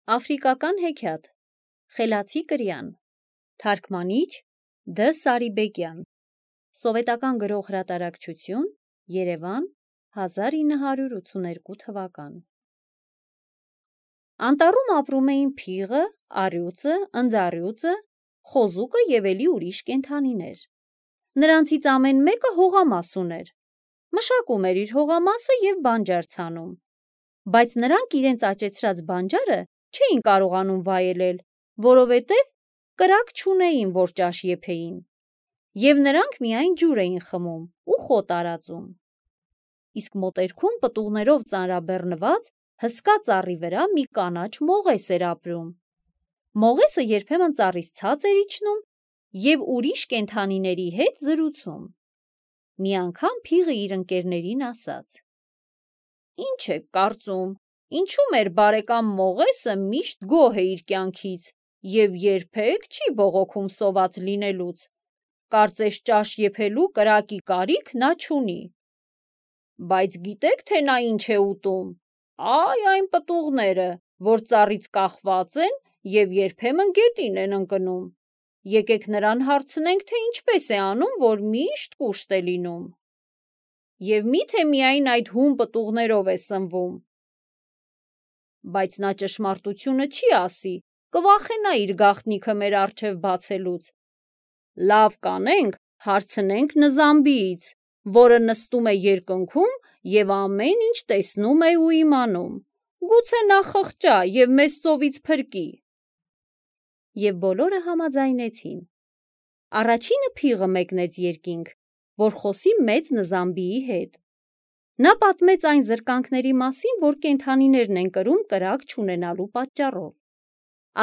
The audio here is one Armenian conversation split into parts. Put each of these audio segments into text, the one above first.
Աֆրիկական հեքիաթ Խելացի կրյան Թարգմանիչ Դ. Սարիբեկյան Սովետական գրող հրատարակչություն Երևան 1982 թվական Անտառում ապրում էին փիղը, առյուծը, ընձառյուծը, խոզուկը և էլի ուրիշ կենդանիներ։ Նրանցից ամեն մեկը հողամաս ուներ։ Մշակում էր իր հողամասը և բանջար ցանում։ Բայց նրանք իրենց աճեցրած բանջարը չէին կարողանում վայելել, որովհետև կրակ չունեին, որ ճաշ եփեին, և նրանք միայն ջուր էին խմում ու խոտ արածում։ Իսկ մոտերքում պտուղներով ծանրաբեռնված հսկա ծառի վրա մի կանաչ մողես էր ապրում։ Մողեսը երբեմն ծառից ցած էր իջնում և ուրիշ կենդանիների հետ զրուցում։ Մի անգամ փիղը իր ընկերներին ասաց. «Ինչ եք կարծում, ինչու մեր բարեկամ Մողեսը միշտ գոհ է իր կյանքից և երբեք չի բողոքում սոված լինելուց։ Կարծես ճաշ եփելու կրակի կարիք նա չունի։ Բայց գիտեք, թե նա ինչ է ուտում։ Այ այն պտուղները, որ ծառից կախված են և երբեմն գետին են ընկնում։ Եկեք նրան հարցնենք, թե ինչպես է անում, որ միշտ կուշտ է լինում։ Եվ մի՞թե միայն այդ հում պտուղներով է սնվում։ Բայց նա ճշմարտությունը չի ասի, կվախենա իր գաղտնիքը մեր առջև բացելուց։ Լավ կանենք, հարցնենք Նզամբիից, որը նստում է երկնքում և ամեն ինչ տեսնում է ու իմանում։ Գուցե նա խղճա և մեզ ծովից փրկի»։ Եվ բոլորը համաձայնեցին։ Առաջինը փիղը մեկնեց երկինք, որ խոսի մեծ Նզամբիի հետ։ Նա պատմեց այն զրկանքների մասին, որ կենդանիներն են կրում կրակ չունենալու պատճառով։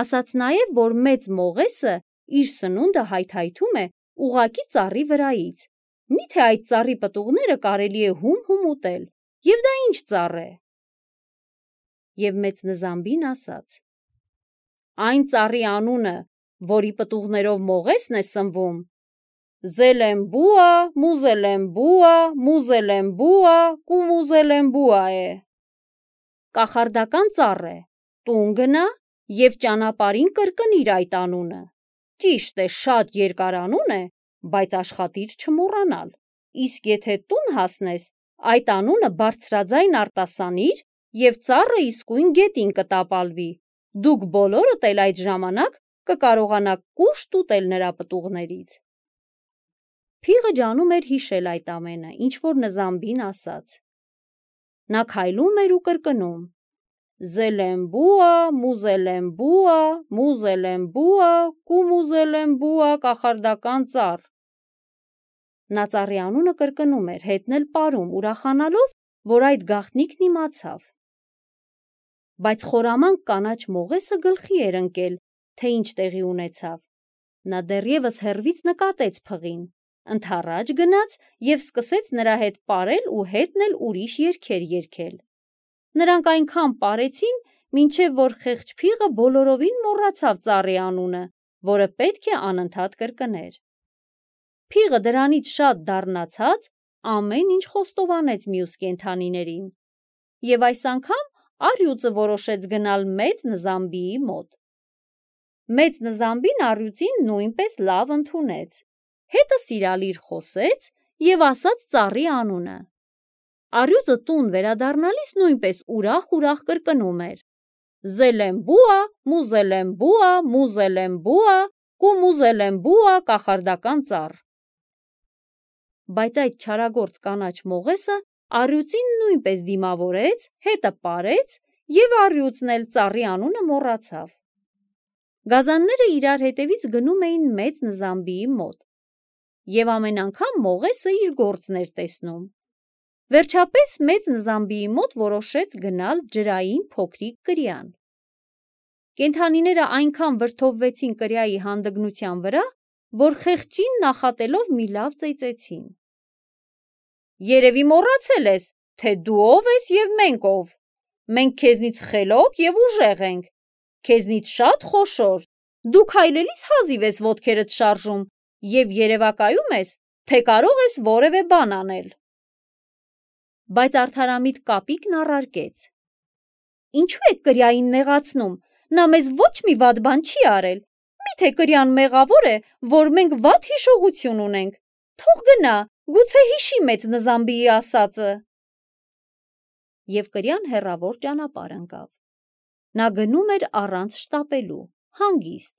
Ասաց նաև, որ մեծ Մողեսը իր սնունդը հայթայթում է ուղղակի ծառի վրայից։ Մի՞թե այդ ծառի պտուղները կարելի է հում ուտել, և դա ինչ ծառ է։ Եվ մեծ Նզամբին ասաց. «Այն ծառի անունը, որի պտուղներով Մողեսն է սնվում, Զելեմբուա, Մուզելեմբուա, Մուզելեմբուա, Կումուզելեմբուա է։ Կախարդական ծառ է, տուն գնա և ճանապարհին կրկնիր այդ անունը։ Ճիշտ է, շատ երկար անուն է, բայց աշխատիր չմոռանալ։ Իսկ եթե տուն հասնես, այդ անունը բարձրաձայն արտասանիր, և ծառը իսկույն գետին կտապալվի։ Դուք բոլորդ էլ այդ ժամանակ կկարողանաք կուշտ ուտել նրա պտուղներից»։ Փիղը ջանում էր հիշել այդ ամենը, ինչ որ Նզամբին ասաց։ Նա քայլում էր ու կրկնում. «Զելեմբուա, Մուզելեմբուա, Մուզելեմբուա, Կումուզելեմբուա, կախարդական ծառ»։ Նա ծառի անունը կրկնում էր, հետն էլ պարում, ուրախանալով, որ այդ գաղտնիքն իմացավ։ Բայց խորամանկ կանաչ Մողեսը գլխի էր ընկել, թե ինչ տեղի ունեցավ։ Նա դեռևս հեռվից նկատեց փղին, ընդառաջ գնաց և սկսեց նրա հետ պարել ու հետն էլ ուրիշ երգեր երգել։ Նրանք այնքան պարեցին, մինչև որ խեղճ փիղը բոլորովին մոռացավ ծառի անունը, որը պետք է անընդհատ կրկներ։ Փիղը դրանից շատ դառնացած ամեն ինչ խոստովանեց մյուս կենդանիներին։ Եվ այս անգամ առյուծը որոշեց գնալ մեծ Նզամբիի մոտ։ Մեծ Նզամբին առյուծին նույնպես լավ ընդունեց, հետը սիրալիր խոսեց և ասաց ծառի անունը։ Առյուծը տուն վերադառնալիս նույնպես ուրախ կրկնում էր. «Զելեմբուա, Մուզելեմբուա, Մուզելեմբուա, Կումուզելեմբուա, կախարդական ծառ»։ Բայց այդ չարագործ կանաչ Մողեսը առյուծին նույնպես դիմավորեց, հետը պարեց և առյուծն էլ ծառի անունը մոռացավ։ Գազանները իրար հետևից գնում էին մեծ Նզամբիի մոտ, և ամեն անգամ Մողեսը իր գործն էր տեսնում։ Վերջապես մեծ Նզամբիի մոտ որոշեց գնալ ջրային փոքրիկ կրյան։ Կենդանիները այնքան վրդովվեցին կրյայի հանդգնության վրա, որ խեղճին նախատելով մի լավ ծեծեցին։ «Երևի մոռացել ես, թե դու ով ես և մենք ով։ Մենք քեզնից խելոք և ուժեղ ենք, քեզնից շատ խոշոր։ Դու քայլելիս հազիվ ես ոտքերդ շարժում և երևակայում ես, թե կարող ես որևէ բան անել»։ Բայց արդարամիտ կապիկն առարկեց. «Ինչու եք կրյային նեղացնում, նա մեզ ոչ մի վատ բան չի արել։ Միթե կրյան մեղավոր է, որ մենք վատ հիշողություն ունենք։ Թող գնա, գուցե հիշի մեծ Նզամբիի ասածը։ Եվ կրյան հեռավոր ճանապարհ ընկավ։ Նա գնում էր առանց շտապելու, հանգիստ։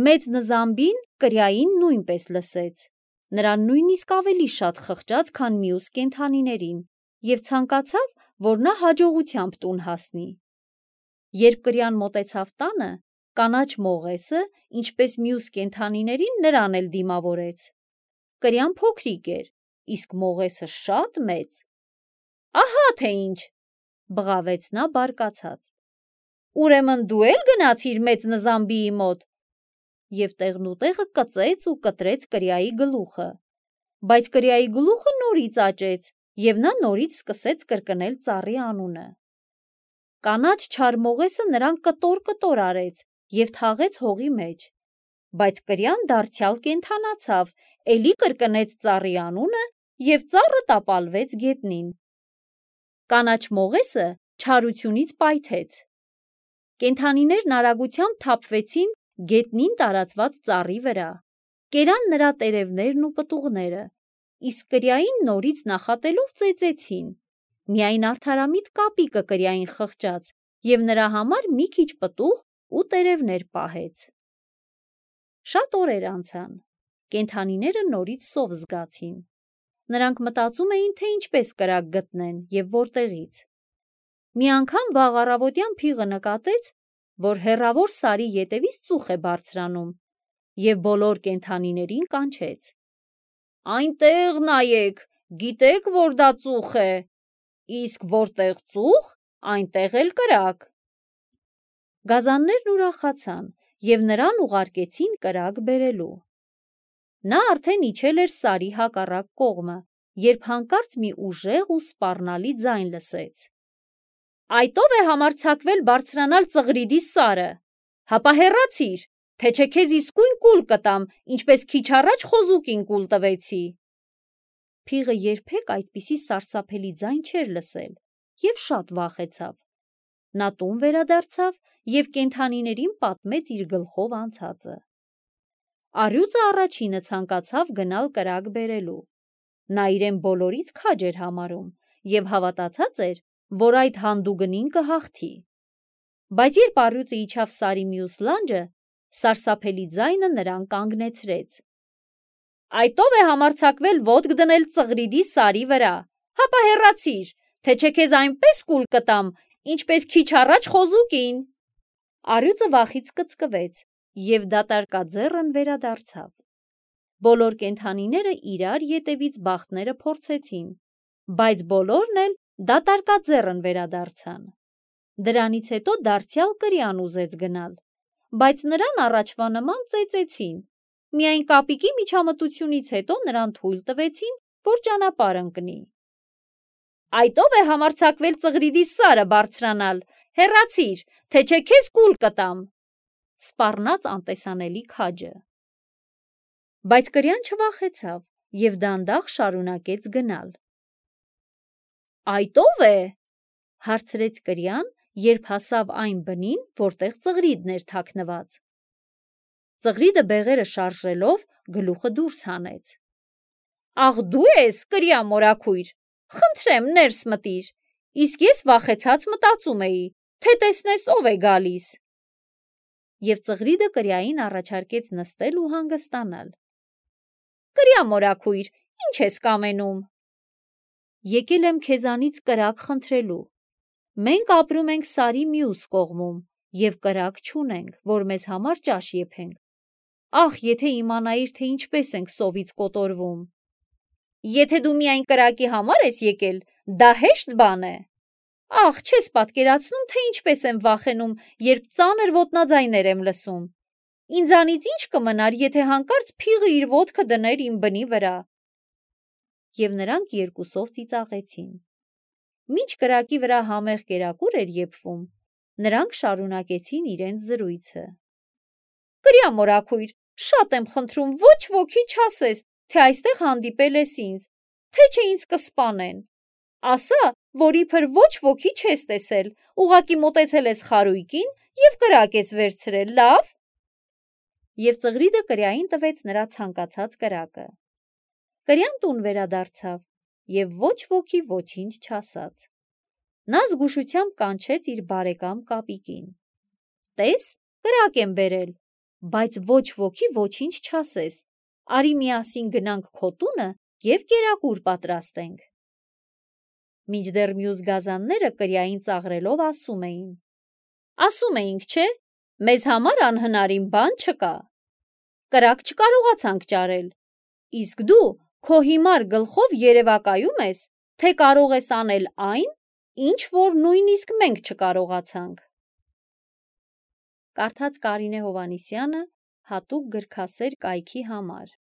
Մեծ Նզամբին կրյային նույնպես լսեց։ Նրան նույնիսկ ավելի շատ խղճաց, քան մյուս կենդանիներին, և ցանկացավ, որ նա հաջողությամբ տուն հասնի։ Երբ կրյան մոտեցավ տանը, կանաչ մողեսը, ինչպես մյուս կենդանիներին, նրան էլ դիմավորեց։ Կրյան փոքրիկ էր, իսկ մողեսը շատ մեծ։ Ահա թե ինչ, բղավեց նա բարկացած։ Ուրեմն դու էլ գնացիր մեծ Նզամբիի մոտ։ Եվ տեղնուտեղը կծեց ու կտրեց կրյայի գլուխը, բայց կրյայի գլուխը նորից աճեց, և նա նորից սկսեց կրկնել ծառի անունը։ Կանաչ չար մողեսը նրան կտոր արեց և թաղեց հողի մեջ, բայց կրյան դարձյալ կենդանացավ, էլի կրկնեց ծառի անունը և ծառը տապալվեց գետնին։ Կանաչ մողեսը չարությունից պայթեց։ Կենդանիներն արագությամբ թափվեցին գետնին տարածված ծառի վրա, կերան նրա տերևներն ու պտուղները, իսկ կրյային նորից նախատելով ծեծեցին։ Միայն արդարամիտ կապիկը կրյային խղճաց և նրա համար մի քիչ պտուղ ու տերևներ պահեց։ Շատ օրեր անցան, կենդանիները նորից սով զգացին։ Նրանք մտածում էին, թե ինչպես կրակ գտնեն և որտեղից։ Մի անգամ վաղ առավոտյան փիղը նկատեց, որ հեռավոր սարի ետևից ծուխ է բարձրանում, և բոլոր կենդանիներին կանչեց. Այնտեղ նայեք, գիտեք, որ դա ծուխ է, իսկ որտեղ ծուխ, այնտեղ էլ կրակ։ Գազաններն ուրախացան և նրան ուղարկեցին կրակ բերելու։ Նա արդեն իջել էր սարի հակառակ կողմը, երբ հանկարծ մի ուժեղ ու սպառնալի ձայն լսեց. Այդով է համարձակվել բարձրանալ Ծղրիդի սարը, հապա հեռացիր, թե չէ քեզ իսկույն կուլ կտամ, ինչպես քիչ առաջ խոզուկին կուլ տվեցի։ Փիղը երբեք այդպիսի սարսափելի ձայն չէր լսել և շատ վախեցավ։ Նա տուն վերադարձավ և կենդանիներին պատմեց իր գլխով անցածը։ Առյուծը առաջինը ցանկացավ գնալ կրակ բերելու։ Նա իրեն բոլորից քաջ էր համարում և հավատացած էր, որ այդ հանդուգնին կհաղթի։ Բայց երբ առյուծը իջավ սարի մյուս լանջը, սարսափելի ձայնը նրան կանգնեցրեց։ Այդով է համարձակվել ոտք դնել Ծղրիդի սարի վրա, հապա հեռացիր, թե չէ քեզ այնպես կուլ կտամ, ինչպես քիչ առաջ խոզուկին։ Առյուծը վախից կծկվեց և դատարկաձեռն վերադարձավ։ Բոլոր կենդանիները իրար ետևից բախտները փորձեցին, բայց բոլորն էլ դատարկաձեռն վերադարձան։ Դրանից հետո դարձյալ կրյան ուզեց գնալ, բայց նրան առաջվա նման ծեծեցին։ Միայն կապիկի միջամտությունից հետո նրան թույլ տվեցին, որ ճանապարհ ընկնի։ Այդով է համարձակվել Ծղրիդի սարը բարձրանալ, հեռացիր, թե չէ քեզ կուլ կտամ, սպառնաց անտեսանելի քաջը։ Բայց կրյան չվախեցավ և դանդաղ շարունակեց գնալ։ Այդով է, հարցրեց կրյան, երբ հասավ այն բնին, որտեղ Ծղրիդն էր թաքնված։ Ծղրիդը բեղերը շարժելով գլուխը դուրս հանեց։ Աղ դու ես, կրյա մորաքույր, խնդրեմ ներս մտիր, իսկ ես վախեցած մտածում էի, թե տեսնես ով է գալիս։ Եվ Ծղրիդը կրյային առաջարկեց նստել ու հանգստանալ։ Կրյա մորաքույր, ինչ ես կամենում։ Եկել եմ քեզանից կրակ խնդրելու։ Մենք ապրում ենք սարի մյուս կողմում և կրակ չունենք, որ մեզ համար ճաշ եփենք։ Ախ, եթե իմանայիր, թե ինչպես ենք սովից կոտորվում։ Եթե դու միայն կրակի համար ես եկել, դա հեշտ բան է։ Ախ, չես պատկերացնում, թե ինչպես եմ վախենում, երբ ծանր ոտնաձայներ եմ լսում։ Ինձանից ինչ կմնար, եթե հանկարծ փիղը իր ոտքը դներ իմ բնի վրա։ Եվ նրանք երկուսով ծիծաղեցին։ Մինչ կրակի վրա համեղ կերակուր էր եփվում, նրանք շարունակեցին իրենց զրույցը։ Կրյա մորաքույր, շատ եմ խնդրում, ոչ ոքի չասես, թե այստեղ հանդիպել ես ինձ, թե չէ ինձ կսպանեն։ Ասա, որ իբր ոչ ոքի չես տեսել, ուղղակի մոտեցել ես խարույկին և կրակ ես վերցրել, լավ։ Եվ Ծղրիդը կրյային տվեց նրա ցանկացած կրակը։ Կրյան տուն վերադարձավ և ոչ ոքի ոչինչ չասաց։ Նա զգուշությամբ կանչեց իր բարեկամ Կապիկին։ Տես, կրակ եմ բերել, բայց ոչ ոքի ոչինչ չասես, արի միասին գնանք քո տունը և կերակուր պատրաստենք։ Մինչդեռ մյուս գազանները կրյային ծաղրելով ասում էին. ասում էինք, չէ, մեզ համար անհնարին բան չկա։ Կրակ չկարողացանք ճարել, իսկ դու քո հիմար գլխով երևակայում ես, թե կարող ես անել այն, ինչ որ նույնիսկ մենք չկարողացանք։ Կարդաց Կարինե Հովհաննիսյանը հատուկ գրքասեր կայքի համար։